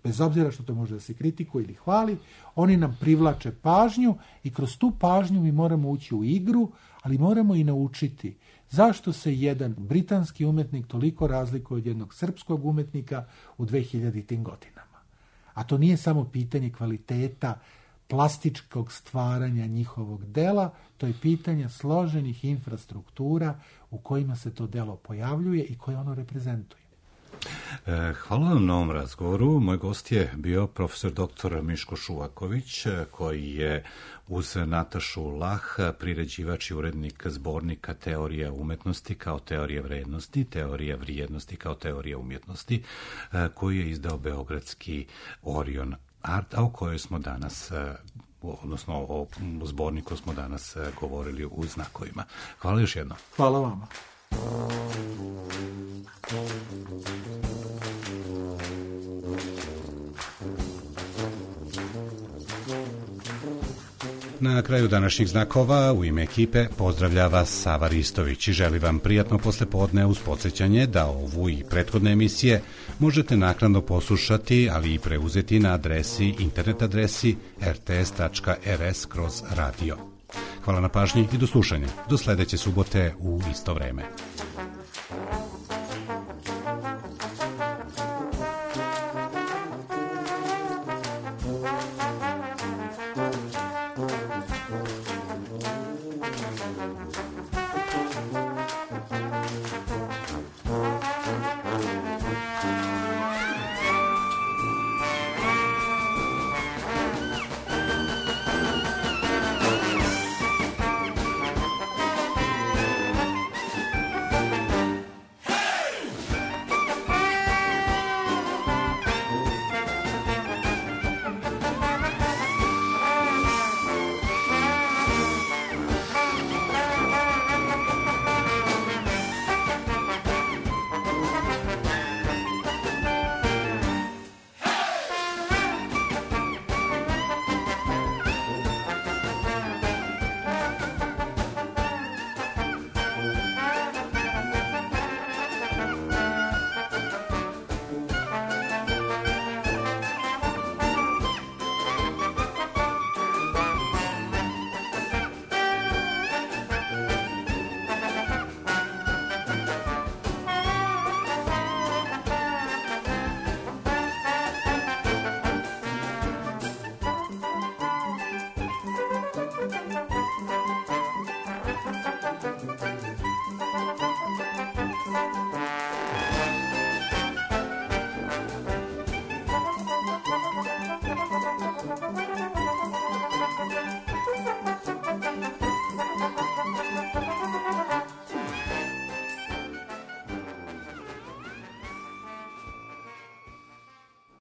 Bez obzira što to može da se kritikuje ili hvali, oni nam privlače pažnju i kroz tu pažnju mi moramo ući u igru, ali moramo i naučiti zašto se jedan britanski umetnik toliko razlikuje od jednog srpskog umetnika u 2000. godinama. A to nije samo pitanje kvaliteta plastičkog stvaranja njihovog dela, to je pitanje složenih infrastruktura u kojima se to delo pojavljuje i koje ono reprezentuje. Hvala vam na ovom razgovoru. Moj gost je bio profesor dr. Miško Šuvaković, koji je uz Natašu Lah priređivač i urednik zbornika Teorija umetnosti kao teorija vrednosti, teorija vrijednosti kao teorija umjetnosti, koji je izdao beogradski Orion Art, a o kojoj smo danas, odnosno o zborniku smo danas govorili u znakovima. Hvala još jednom. Hvala vama. Na kraju današnjih znakova u ime ekipe pozdravlja vas Sava Ristović i želi vam prijatno poslepodne uz podsjećanje da ovu i prethodne emisije možete naknadno poslušati, ali i preuzeti na internet adresi rts.rs/radio. Hvala na pažnji i do slušanja. Do sledeće subote u isto vreme.